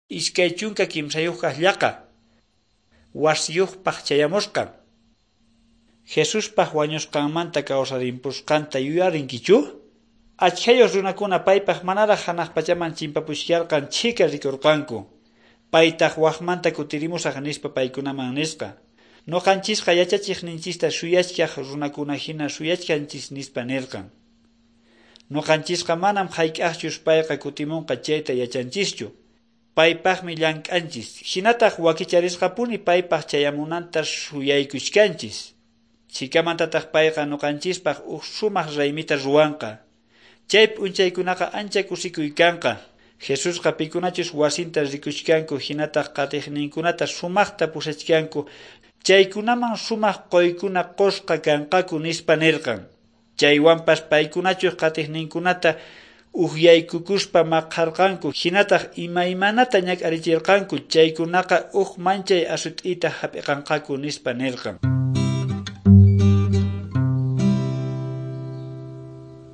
23 kaq llaqa. Wasiyuqpaq chayamusqan. Jesuspaq wañusqanmanta kawsarimpusqanta yuyarinkichu? Achkhayuq runakuna paypaq manaraq hanaq pachaman chimpapuchkarqan chhika rikurqanku. Paytaq waqmanta kutirimusaq nispa paykunaman nisqa. Nuqanchisqa yachachiqninchista suyachkaq runakuna hina suyachkanchis nispa nirqan. Nuqanchisqa manam hayk'aqchus payqa kutimunqa chayta yachanchischu. Paypaqmi llank'anchis, hinataq wakicharisqapuni paypaq chayamunanta suyaykuchkanchis. Chhikamantataq payqa nuqanchispaq huk sumaq raymita ruwanqa. Chay p'unchaykunaqa ancha kusikuy kanqa. Jesusqa pikunachus wasinta rikuchkanku hinataq qatiqninkunata sumaqta pusachkanku chaykunaman sumaq quykuna qusqa kanqaku nispa nirqan. Chaywanpas paykunachus qatiqninkunata ukyaykukuspa maqarqanku hinataq imaymanata ñak'arichirqanku chaykunaqa huk manchay asut'ita hap'iqanqaku nispa nirqan.